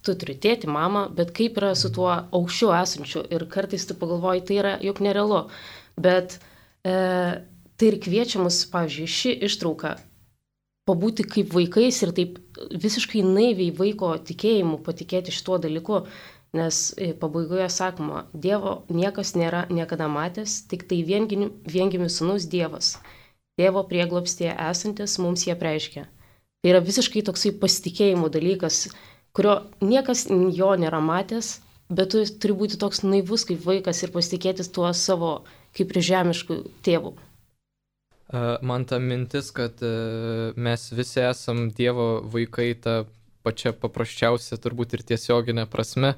tu turi tėtį, mamą, bet kaip yra su tuo aukščiau esančiu. Ir kartais tu pagalvoji, tai yra juk nerealu. Bet tai ir kviečia mus, pavyzdžiui, ši ištrauka pabūti kaip vaikais ir taip visiškai naiviai vaiko tikėjimu patikėti šituo dalyku. Nes pabaigoje sakoma, Dievo niekas nėra niekada matęs, tik tai viengimis sūnus Dievas. Tėvo prieglobstyje esantis mums jie apreiškia. Tai yra visiškai toksai pasitikėjimo dalykas, kurio niekas jo nėra matęs, bet tu turi būti toks naivus kaip vaikas ir pasitikėtis tuo savo kaip ir žemiškų tėvų. Man ta mintis, kad mes visi esam Dievo vaikai, ta pačia paprasčiausia turbūt ir tiesioginė prasme,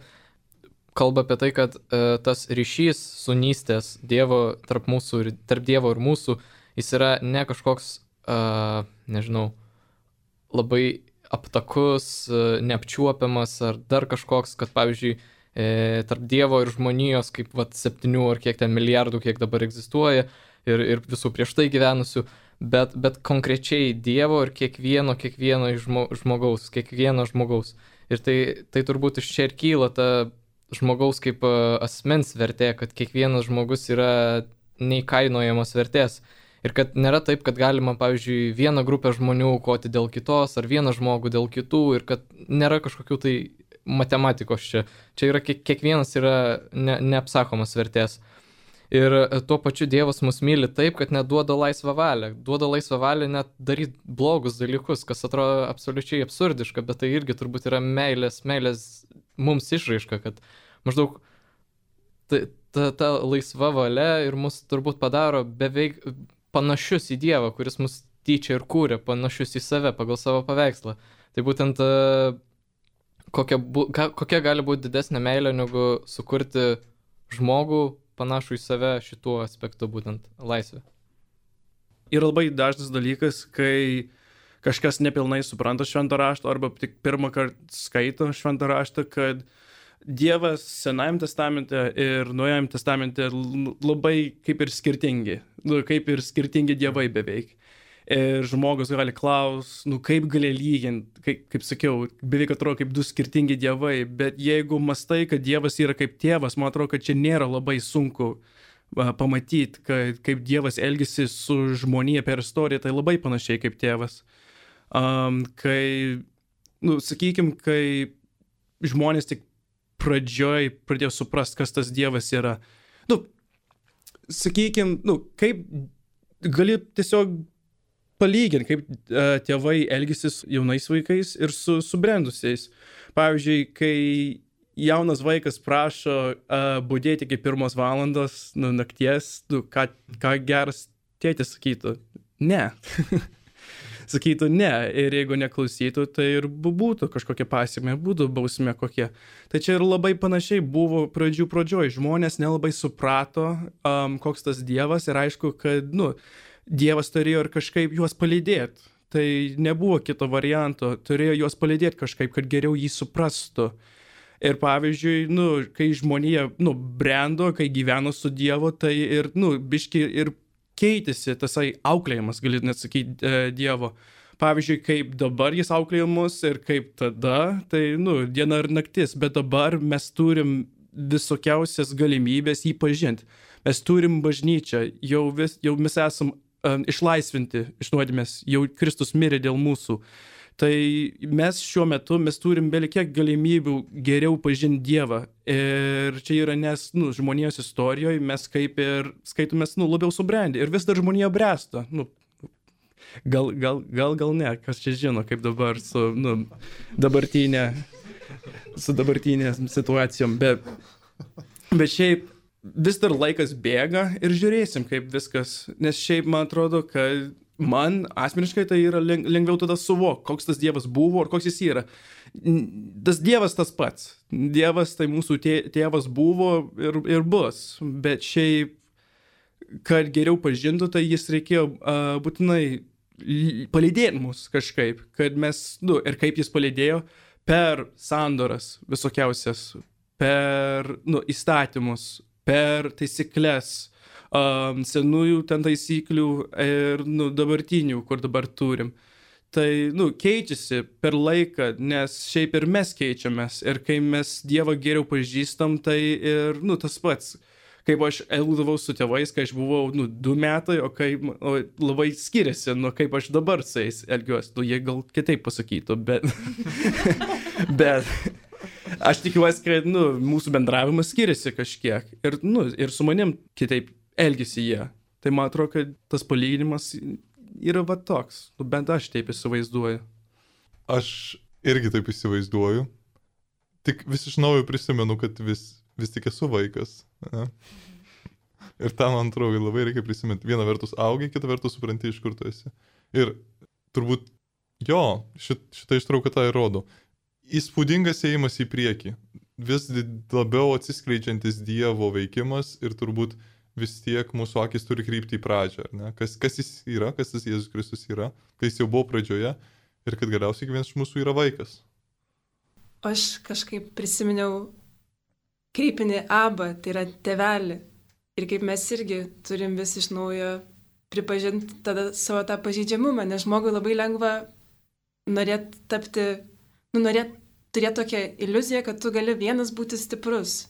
kalba apie tai, kad tas ryšys sūnystės Dievo tarp Dievo ir mūsų, jis yra ne kažkoks, nežinau, labai aptakus, neapčiuopiamas ar dar kažkoks, kad pavyzdžiui, tarp Dievo ir žmonijos, kaip 7 ar kiek ten milijardų, kiek dabar egzistuoja ir visų prieš tai gyvenusių, bet konkrečiai Dievo ir kiekvieno žmogaus. Ir tai turbūt iš čia ir kyla ta žmogaus kaip asmens vertė, kad kiekvienas žmogus yra neįkainojamas vertės. Ir kad nėra taip, kad galima, pavyzdžiui, vieną grupę žmonių aukoti dėl kitos, ar vieną žmogų dėl kitų, ir kad nėra kažkokių tai matematikos čia. Čia yra kiekvienas yra neapsakomas vertės. Ir tuo pačiu Dievas mus myli taip, kad net duoda laisvą valią. Duoda laisvą valią net daryti blogus dalykus, kas atrodo absoliučiai absurdiška, bet tai irgi turbūt yra meilės mums išraiška, kad maždaug ta laisva valia ir mus turbūt padaro beveik panašius į Dievą, kuris mus tyčia ir kūrė, panašius į save pagal savo paveikslą. Tai būtent kokia gali būti didesnė meilė, negu sukurti žmogų panašų į save šituo aspektu, būtent laisvė. Ir labai dažnas dalykas, kai kažkas nepilnai supranta šventą raštą arba tik pirmą kartą skaito šventą raštą, kad Dievas Senajame testamente ir Naujajame testamente labai kaip ir skirtingi dievai beveik. Ir žmogus gali klausti, kaip gali lyginti, kaip sakiau, beveik atrodo kaip du skirtingi dievai, bet jeigu mastai, kad Dievas yra kaip tėvas, man atrodo, kad čia nėra labai sunku pamatyti, kaip Dievas elgesi su žmonija per istoriją, tai labai panašiai kaip tėvas. Sakykime, kai žmonės tik pradžioj pradėjo suprasti, kas tas Dievas yra. Sakykime, kaip gali tiesiog palyginti, kaip tėvai elgesi su jaunais vaikais ir su subrendusiais. Pavyzdžiui, kai jaunas vaikas prašo budėti iki 1 valandos nakties, ką geras tėtis sakytų? Ne. Sakytų ne, ir jeigu neklausytų, tai ir būtų kažkokia pasekmė, būtų bausmė kokie. Tai čia ir labai panašiai buvo pradžioj. Žmonės nelabai suprato, koks tas Dievas, ir aišku, kad, Dievas turėjo ir kažkaip juos palydėti. Tai nebuvo kito varianto, turėjo juos palydėti kažkaip, kad geriau jį suprastų. Ir pavyzdžiui, kai žmonija, brendo, kai gyveno su Dievu, tai ir, biški ir keitėsi tasai auklėjimas, gali net sakyti, Dievo. Pavyzdžiui, kaip dabar jis auklėja mus ir kaip tada, tai, diena ir naktis, bet dabar mes turim visokiausias galimybės jį pažinti. Mes turim bažnyčią, jau mes esam išlaisvinti iš nuodėmės, jau Kristus mirė dėl mūsų. Tai mes šiuo metu turim belikiek galimybių geriau pažinti Dievą. Ir čia yra, nes žmonijos istorijoje mes kaip ir skaitomės labiau subrendę. Ir vis dar žmonija bręsta. Gal ne, kas čia žino, kaip dabar su dabartinė situacijom. Bet šiaip vis dar laikas bėga ir žiūrėsim, kaip viskas. Nes šiaip man atrodo, kad man asmeniškai tai yra lengviau tada suvokti, koks tas Dievas buvo ir koks jis yra. Tas Dievas tas pats. Dievas tai mūsų tėvas buvo ir bus. Bet šiaip, kad geriau pažintų, tai jis reikėjo būtinai palydėti mus kažkaip. Kad mes, ir kaip jis palydėjo per sandoras visokiausias, per įstatymus, per taisyklės, senųjų ten taisyklių ir dabartinių, kur dabar turim. Tai, keičiasi per laiką, nes šiaip ir mes keičiamės. Ir kai mes Dievą geriau pažįstam, tai ir, tas pats. Kaip aš elgdavau su tėvais, kai aš buvau, 2 metai, o labai skiriasi, kaip aš dabar su jais elgiuosi. Jie gal kitaip pasakytų, bet... bet... Aš tikiuosi, kad, mūsų bendravimas skiriasi kažkiek. Ir su manim kitaip elgisi jie. Tai man atrodo, kad tas palyginimas yra va toks. Bent aš taip įsivaizduoju. Aš irgi taip įsivaizduoju. Tik vis iš naujo prisimenu, kad vis tik esu vaikas. Ne? Ir tą, man atrodo, labai reikia prisiminti. Viena vertus augi, kita vertus supranti, iš kur tu esi. Ir turbūt, šitą ištrauką tą ir rodo. Įspūdingas ėjimas į priekį. Vis labiau atsiskleidžiantis Dievo veikimas ir turbūt vis tiek mūsų akis turi krypti į pradžią. Ne? Kas jis yra, kas tas Jėzus Kristus yra, kai jis jau buvo pradžioje ir kad galiausiai kiekvienas iš mūsų yra vaikas. Aš kažkaip prisiminiau kreipinį Abba, tai yra tėvelį. Ir kaip mes irgi turim vis iš naujo pripažinti tada savo tą pažeidžiamumą, nes žmogui labai lengva norėti tapti, norėti turėti tokią iliuziją, kad tu gali vienas būti stiprus.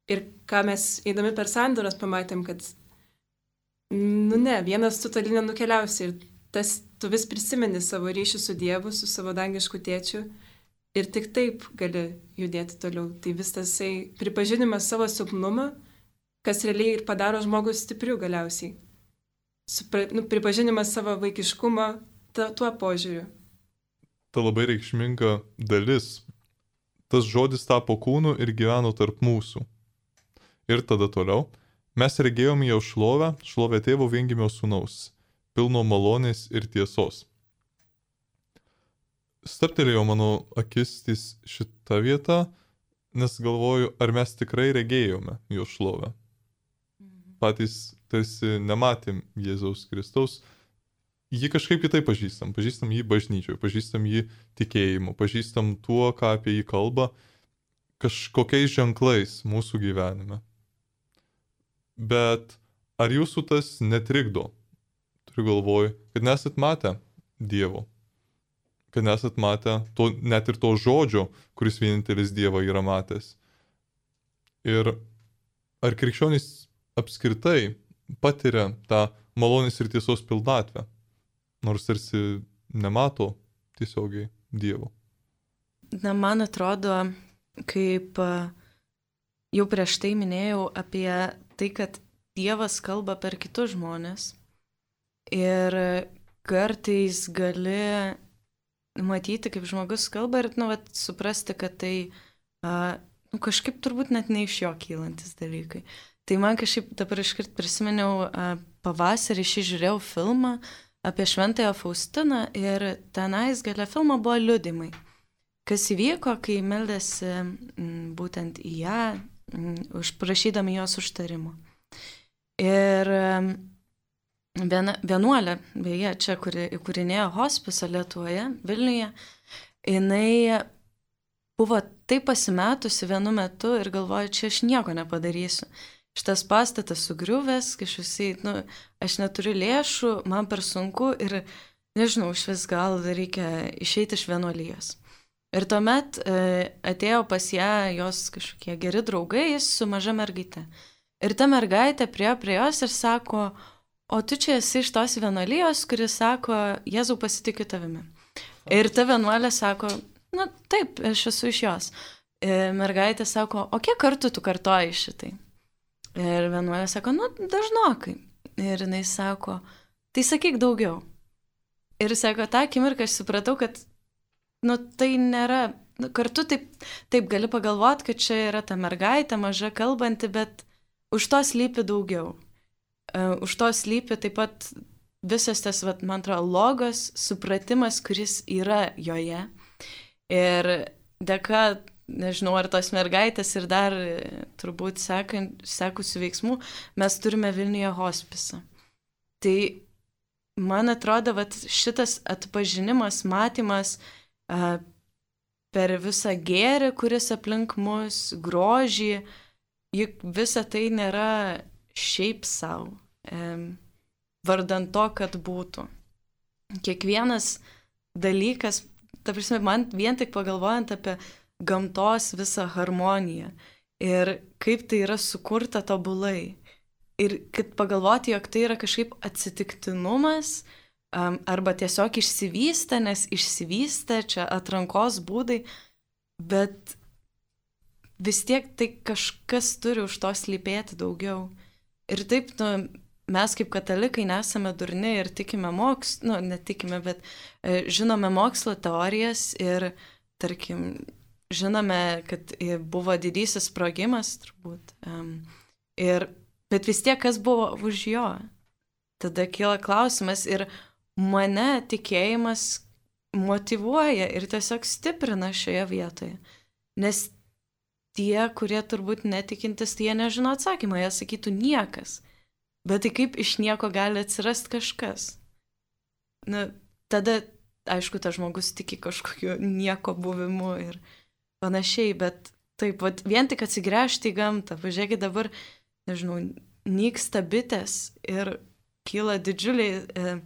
Ir ką mes eidami per sandoras pamatėm, kad vienas tu toli nenukeliausi. Ir tu vis prisimeni savo ryšį su Dievu, su savo dangišku tėčiu. Ir tik taip gali judėti toliau. Tai vis tasai pripažinimas savo silpnumą, kas realiai ir padaro žmogus stipriu galiausiai. Pripažinimas savo vaikiškumo tuo požiūriu. Ta labai reikšminga dalis. Tas žodis tapo kūnu ir gyveno tarp mūsų. Ir tada toliau. Mes regėjome jo šlovę tėvo viengimio sūnaus, pilno malonės ir tiesos. Stabtelėjo mano akis šitą vietą, nes galvoju, ar mes tikrai regėjome jo šlovę. Patys tarsi nematėm Jėzaus Kristaus. Jį kažkaip kitaip pažįstam. Pažįstam jį bažnyčioje, pažįstam jį tikėjimu, pažįstam tuo, ką apie jį kalba, kažkokiais ženklais mūsų gyvenime. Bet ar jūsų tas netrikdo? Turiu galvoj, kad nesat matę Dievo, kad nesat matę net ir to žodžio, kuris vienintelis Dievą yra matęs. Ir ar krikščionys apskritai patiria tą malonės ir tiesos pilnatvę, nors tarsi nemato tiesiogiai Dievo? Man atrodo, kaip jau prieš tai minėjau apie tai, kad Dievas kalba per kitus žmonės ir kartais gali matyti, kaip žmogus kalba ir suprasti, kad tai kažkaip turbūt net ne iš jo kylantis dalykai. Tai man kažkaip dabar iškart prisiminiau pavasarį žiūrėjau filmą apie Šventąją Faustiną ir tenais gale filmo buvo liudymai. Kas įvyko, kai meldėsi būtent į ją, prašydami jos užtarimo. Ir vienuolė, beje, čia, kuri įkūrinėjo hospisą Lietuvoje, Vilniuje, jinai buvo taip pasimetusi vienu metu ir galvoja, čia aš nieko nepadarysiu. Šitas pastatas sugriuvęs, kažkaip, aš neturiu lėšų, man per sunku ir nežinau, iš vis gal reikia išeiti iš vienuolijos. Ir tuomet atėjo pas ją jos kažkokie geri draugai su maža mergaite. Ir ta mergaitė priėjo prie jos ir sako, o tu čia esi iš tos vienuolijos, kuris sako, Jėzau, pasitikiu tavimi. Ir ta vienuolė sako, na taip, aš esu iš jos. Mergaitė sako, o kiek kartų tu kartoji šitai? Ir vienuolė sako, nu, dažnokai. Ir jinai sako, tai sakyk daugiau. Ir sako, tą akimirką aš supratau, kad, nu, tai nėra, nu, kartu taip gali pagalvoti, kad čia yra ta mergaitė, maža kalbanti, bet už to slypi daugiau. Už to slypi taip pat visas tas, man atrodo, logos, supratimas, kuris yra joje. Ir dėka, nežinau, ar tos mergaitės ir dar turbūt sekusių veiksmų, mes turime Vilniuje hospisą. Tai man atrodo, šitas atpažinimas, matymas per visą gėrį, kuris aplink mus, grožį, juk visa tai nėra šiaip savo, vardant to, kad būtų. Kiekvienas dalykas, ta prasme, man vien tik pagalvojant apie gamtos visą harmoniją ir kaip tai yra sukurta tobulai. Ir kad pagalvoti, jog tai yra kažkaip atsitiktinumas arba tiesiog išsivystę, nes išsivystę čia atrankos būdai, bet vis tiek tai kažkas turi už to slypėti daugiau. Ir taip, mes kaip katalikai nesame durni ir tikime netikime, bet žinome mokslo teorijas ir, tarkim, žinome, kad buvo didysis sprogimas, turbūt. Bet vis tiek, kas buvo už jo? Tada kyla klausimas ir mane tikėjimas motyvuoja ir tiesiog stiprina šioje vietoje. Nes tie, kurie turbūt netikintis, tai jie nežino atsakymą, jie sakytų niekas. Bet tai kaip iš nieko gali atsirasti kažkas? Tada, aišku, tas žmogus tiki kažkokiu nieko buvimu ir panašiai, bet taip, vien tik atsigręžti į gamtą, pažiūrėkit dabar, nežinau, nyksta bitės ir kyla didžiuliai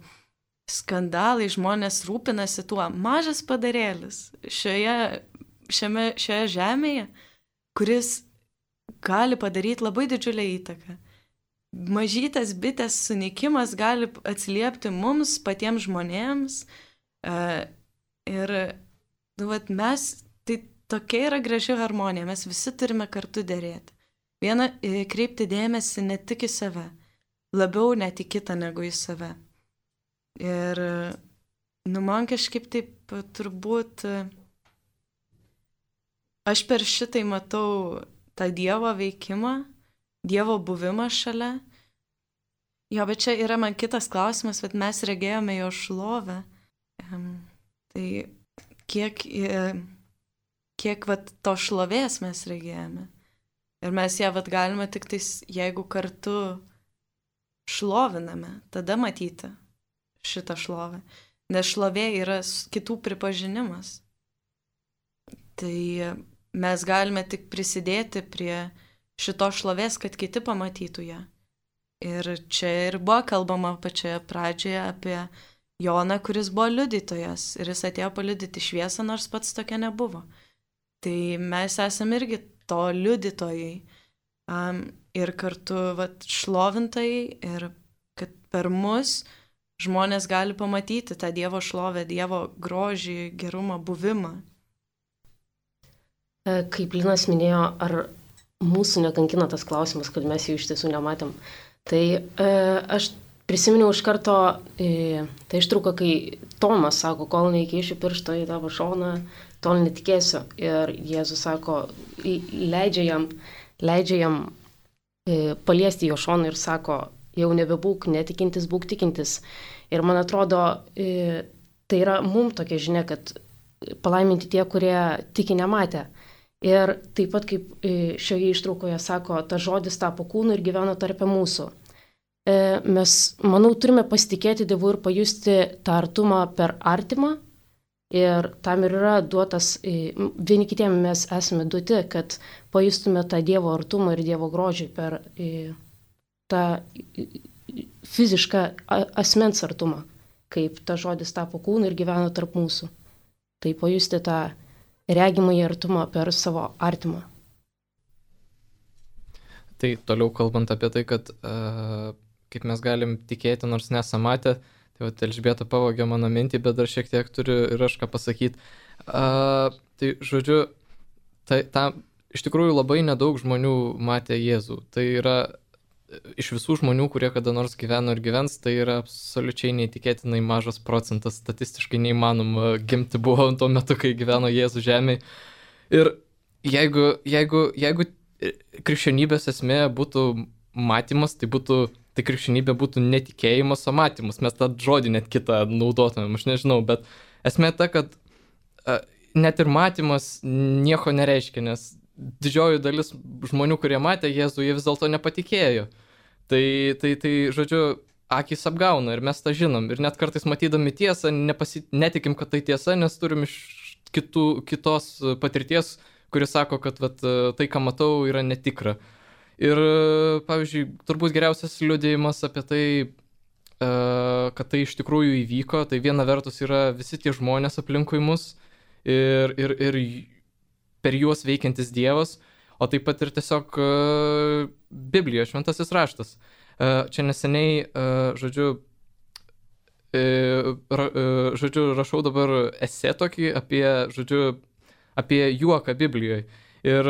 skandalai, žmonės rūpinasi tuo. Mažas padarėlis šioje žemėje, kuris gali padaryti labai didžiulę įtaką. Mažytas bitės sunykimas gali atsiliepti mums, patiems žmonėms. Ir mes, tai tokia yra graži harmonija, mes visi turime kartu dėrėti. Viena, kreipti dėmesį ne tik į save, labiau net į kitą negu į save. Ir, man kažkaip taip turbūt, aš per šitai matau tą Dievo veikimą, Dievo buvimą šalia. Jo, bet čia yra man kitas klausimas, bet mes regėjome jo šlovę. Tai kiek to šlovės mes regėjome. Ir mes ją galime tik tais, jeigu kartu šloviname, tada matyti šitą šlovę. Nes šlovė yra kitų pripažinimas. Tai mes galime tik prisidėti prie šito šlovės, kad kiti pamatytų ją. Ir čia ir buvo kalbama pačioje pradžioje apie Joną, kuris buvo liudytojas. Ir jis atėjo paliudyti šviesą, nors pats tokia nebuvo. Tai mes esame irgi to liudytojai. Ir kartu šlovintojai. Ir kad per mus žmonės gali pamatyti tą Dievo šlovę, Dievo grožį, gerumą, buvimą. Kaip Linas minėjo, ar mūsų nekankina tas klausimas, kad mes jų iš tiesų nematėm. Tai aš prisiminiau iš karto tą ištrauką, kai Tomas sako, kol neįkišiu piršto į tavo šoną, tol netikėsiu. Ir Jėzus sako, leidžia jam paliesti jo šoną ir sako, jau nebebūk netikintis, būk tikintis. Ir man atrodo, tai yra mums tokia žinia, kad palaiminti tie, kurie tiki nematę. Ir taip pat kaip šioje ištraukoje sako, tas žodis tapo kūnu ir gyveno tarp mūsų. Mes, manau, turime pasitikėti Dievu ir pajusti tą artumą per artimą. Ir tam ir yra duotas, vieni kitiem mes esame duoti, kad pajustume tą Dievo artumą ir Dievo grožį per tą fizišką asmens artumą, kaip tas žodis tapo kūnu ir gyveno tarp mūsų. Tai pajusti tą regimąjį artumą per savo artimą. Tai toliau kalbant apie tai, kad kaip mes galim tikėti, nors nesam matę. Tai va, Elžbieta pavogė mano mintį, bet dar šiek tiek turiu ir aš ką pasakyti. Tai žodžiu, iš tikrųjų labai nedaug žmonių matė Jėzų. Tai yra iš visų žmonių, kurie kada nors gyveno ir gyvens, tai yra absoliučiai neįtikėtinai mažas procentas, statistiškai neįmanoma gimti buvo tuo metu, kai gyveno Jėzus žemėje. Ir jeigu krikščionybės esmė būtų matymas, tai krikščionybė būtų netikėjimas, o matymas. Mes tą žodį net kitą naudotumėm, aš nežinau, bet esmė ta, kad net ir matymas nieko nereiškia, nes didžioji dalis žmonių, kurie matė Jėzų, jie vis dėlto nepatikėjo. Tai žodžiu, akys apgauna ir mes tą žinom. Ir net kartais matydami tiesą, netikim, kad tai tiesa, nes turim iš kitos patirties, kuris sako, kad tai, ką matau, yra netikra. Ir, pavyzdžiui, turbūt geriausias liudijimas apie tai, kad tai iš tikrųjų įvyko, tai viena vertus yra visi tie žmonės aplinkui mus ir per juos veikiantis Dievas, o taip pat ir tiesiog Biblija, šventasis raštas. Čia neseniai, žodžiu, rašau dabar esė tokį apie juoką Biblijoje. Ir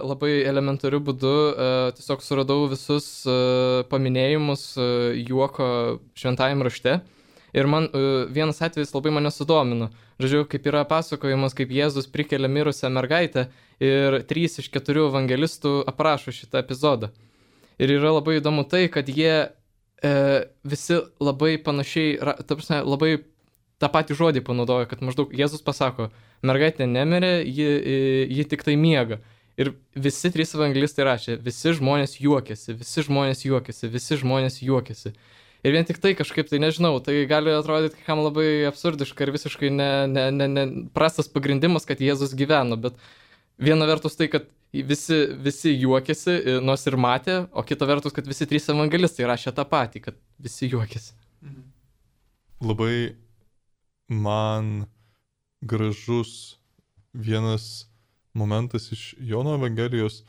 labai elementariu būdu tiesiog suradau visus paminėjimus juoko šventajam rašte. Ir man vienas atvejis labai mane sudomino. Žodžiu, kaip yra pasakojimas, kaip Jėzus prikelia mirusią mergaitę ir 3 iš 4 evangelistų aprašo šitą epizodą. Ir yra labai įdomu tai, kad jie visi labai panašiai, labai tą patį žodį panaudoja, kad maždaug Jėzus pasako, mergaitė nemirė, ji tik tai miega. Ir visi 3 evangelistai rašė, visi žmonės juokėsi, visi žmonės juokėsi, visi žmonės juokėsi. Ir vien tik tai kažkaip, tai nežinau, tai gali atrodyti kam labai absurdiška ir visiškai prastas pagrindimas, kad Jėzus gyveno, bet viena vertus tai, kad visi juokėsi, nors ir matė, o kita vertus, kad visi 3 evangelistai rašė tą patį, kad visi juokėsi. Labai man gražus vienas momentas iš Jono Evangelijos.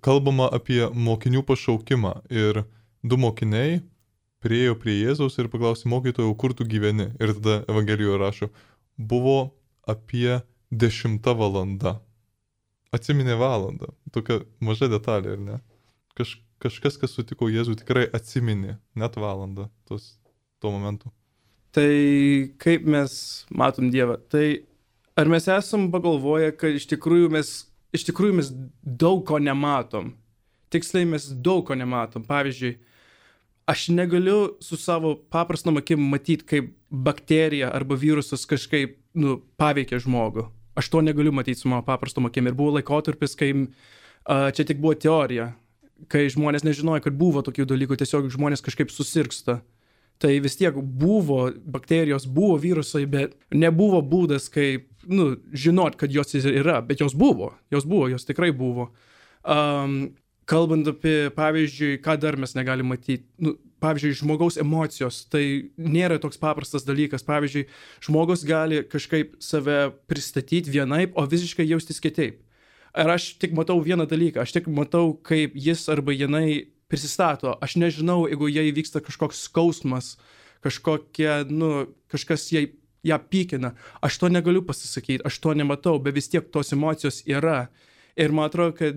Kalbama apie mokinių pašaukimą ir 2 mokiniai priėjo prie Jėzaus ir paklausė mokytojau, kur tu gyveni. Ir tada Evangelijoje rašo, buvo apie 10 valanda. Atsiminė valandą. Tokia maža detalė, ar ne? Kažkas, kas sutiko Jėzų, tikrai atsiminė net valandą tuo momentu. Tai kaip mes matom Dievą? Tai ar mes esam pagalvoję, kad iš tikrųjų mes daug ko nematom? Tiksliai mes daug ko nematom. Pavyzdžiui, aš negaliu su savo paprastom akim matyti, kaip bakterija arba virusas kažkaip paveikia žmogų. Aš to negaliu matyti su mano paprastom akim. Ir buvo laikotarpis, kai čia tik buvo teorija, kai žmonės nežinojo, kad buvo tokių dalykų, tiesiog žmonės kažkaip susirgsta. Tai vis tiek buvo bakterijos, buvo virusai, bet nebuvo būdas, kaip žinot, kad jos yra, bet jos tikrai buvo. Kalbant apie, pavyzdžiui, ką dar mes negalim matyti, pavyzdžiui, žmogaus emocijos, tai nėra toks paprastas dalykas. Pavyzdžiui, žmogus gali kažkaip save pristatyti vienaip, o visiškai jaustis kitaip. Ir aš tik matau vieną dalyką, aš tik matau, kaip jis arba jinai prisistato. Aš nežinau, jeigu jai vyksta kažkoks skausmas, kažkas ją pykina. Aš to negaliu pasisakyti, aš to nematau, bet vis tiek tos emocijos yra. Ir man atrodo, kad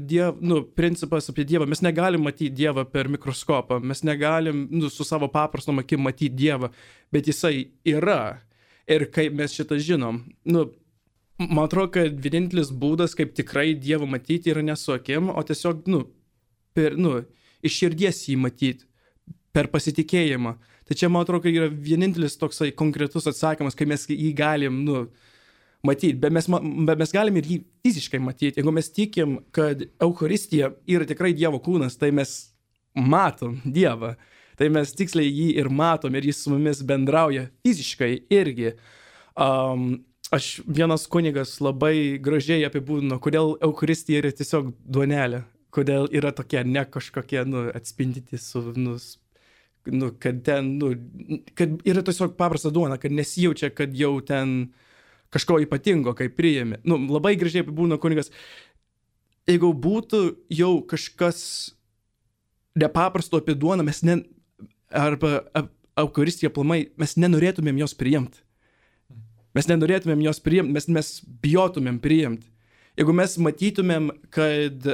principas apie Dievą, mes negalim matyti Dievą per mikroskopą, mes negalim su savo paprastom akim matyti Dievą, bet jisai yra. Ir kaip mes šitą žinom, man atrodo, kad vienintelis būdas, kaip tikrai Dievą matyti, yra ne su akim, o tiesiog, iš širdies jį matyti, per pasitikėjimą. Tai čia, man atrodo, kad yra vienintelis toksai konkretus atsakymas, kai mes jį galim, matyti, bet mes galim ir jį fiziškai matyti. Jeigu mes tikim, kad Eucharistija yra tikrai Dievo kūnas, tai mes matom Dievą. Tai mes tiksliai jį ir matom ir jis su mumis bendrauja fiziškai irgi. Vienas kunigas labai gražiai apibūdino, kodėl Eucharistija yra tiesiog duonelė. Kodėl yra tokie ne kažkokie atspindyti kad ten, kad yra tiesiog paprasta duona, kad nesijaučia, kad jau ten kažko ypatingo, kai priėmė. Labai gražiai apibūdino kunigas. Jeigu būtų jau kažkas nepaprasto apie duoną, arba Eucharistija aplamai, mes nenorėtumėm jos priimti. Mes nenorėtumėm jos priimti, mes bijotumėm priimti. Jeigu mes matytumėm, kad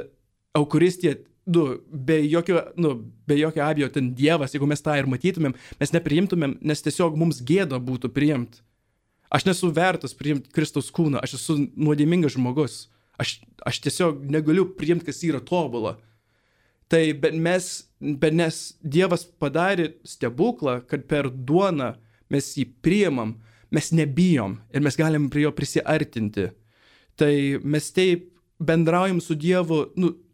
Eucharistija, be jokio abejo, ten Dievas, jeigu mes tą ir matytumėm, mes nepriimtumėm, nes tiesiog mums gėda būtų priimti. Aš nesu vertas priimti Kristaus kūną, aš esu nuodėmingas žmogus. Aš tiesiog negaliu priimti, kas yra tobula. Tai bet nes Dievas padarė stebuklą, kad per duoną mes jį priimam, mes nebijom ir mes galim prie jo prisiartinti. Tai mes taip bendraujam su Dievu,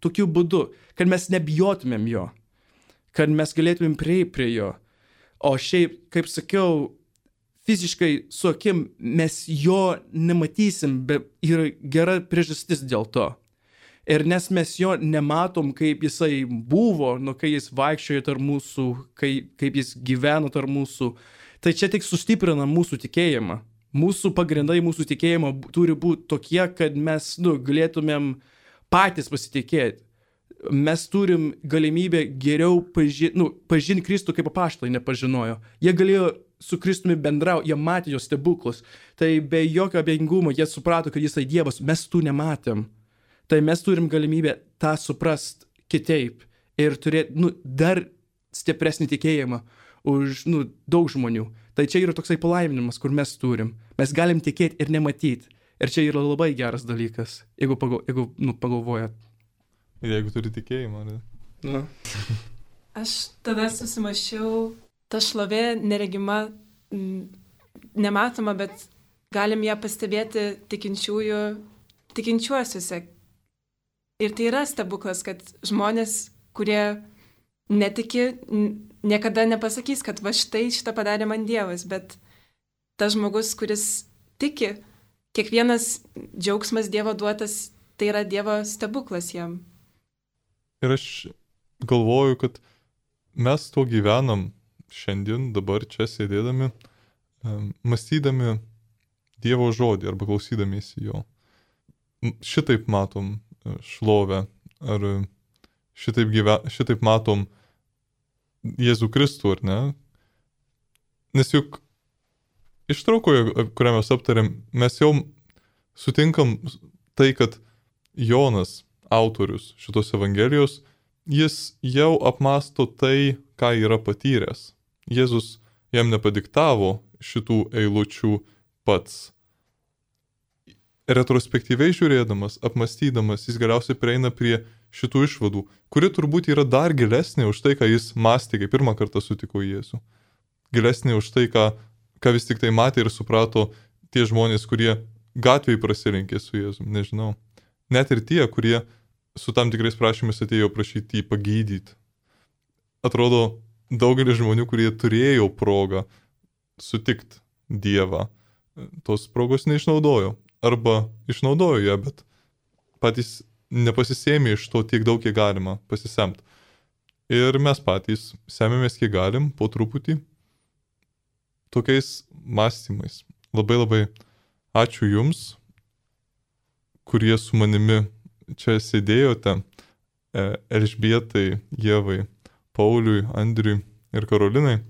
tokiu būdu, kad mes nebijotumėm jo, kad mes galėtumėm prieiti prie jo. O šiaip, kaip sakiau, fiziškai su akim mes jo nematysim, bet yra gera priežastis dėl to. Ir nes mes jo nematom, kaip jisai buvo, kai jis vaikščiojo tarp mūsų, kaip jis gyveno tarp mūsų, tai čia tik sustiprina mūsų tikėjimą. Mūsų pagrindai, mūsų tikėjimo turi būti tokie, kad mes galėtumėm patys pasitikėti. Mes turim galimybę geriau pažinti Kristų, kaip apaštalai nepažinojo. Jie galėjo su Kristumi bendrauti, jie matė jo stebuklus. Tai be jokio abejingumo jie suprato, kad jisai Dievas, mes tų nematėm. Tai mes turim galimybę tą suprast kitaip ir turėti dar stipresnį tikėjimą už daug žmonių. Tai čia yra toksai palaiminimas, kur mes turim. Mes galim tikėti ir nematyti. Ir čia yra labai geras dalykas, jeigu pagalvojat. Ir jeigu turi tikėjimą, ar ne? Aš tada susimašiau, ta šlovė neregima, nematoma, bet galim ją pastebėti tikinčiuosiuose. Ir tai yra stebuklas, kad žmonės, kurie netiki, niekada nepasakys, kad va šitą padarė man Dievas, bet tas žmogus, kuris tiki, kiekvienas džiaugsmas Dievo duotas, tai yra Dievo stebuklas jam. Ir aš galvoju, kad mes tuo gyvenam šiandien, dabar čia sėdėdami, mąstydami Dievo žodį arba klausydamiesi jo. Šitaip matom šlovę, ar šitaip matom Jėzų Kristų, ar ne? Nes juk ištraukoje, kurią mes aptarėm, mes jau sutinkam tai, kad Jonas, autorius šitos Evangelijos, jis jau apmąsto tai, ką yra patyręs. Jėzus jam nepadiktavo šitų eilučių pats. Retrospektyviai žiūrėdamas, apmąstydamas, jis galiausiai prieina prie šitų išvadų, kuri turbūt yra dar gilesnė už tai, ką jis mąstė, kai pirmą kartą sutiko Jėzų. Gilesnė už tai, ką vis tik tai matė ir suprato tie žmonės, kurie gatvėje prasirinkė su Jėzum, nežinau. Net ir tie, kurie su tam tikrais prašymais atėjo prašyti jį pagydyti. Atrodo, daugelis žmonių, kurie turėjo progą sutikti Dievą, tos progos neišnaudojo. Arba išnaudojo ją, bet patys nepasisėmė iš to tiek daug, kiek galima pasisemti. Ir mes patys semėmės, kiek galim, po truputį, tokiais mąstymais. Labai ačiū Jums, kurie su manimi čia sėdėjote, Elžbietai, Ievai, Pauliui, Andriui ir Karolinai.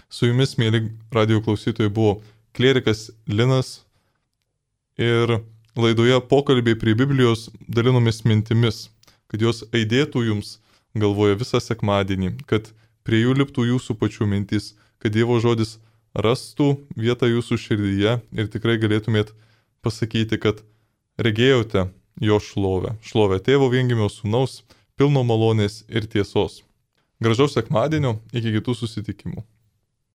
Su Jumis, mėly radijo klausytojai, buvo klierikas Linas. Ir laidoje pokalbiai prie Biblijos dalinomės mintimis, kad jos aidėtų jums galvoje visą sekmadienį, kad prie jų liptų jūsų pačių mintis, kad Dievo žodis rastų vietą jūsų širdyje ir tikrai galėtumėt pasakyti, kad regėjote jo šlovę. Šlovę Tėvo viengimio Sūnaus, pilno malonės ir tiesos. Gražaus sekmadienio, iki kitų susitikimų.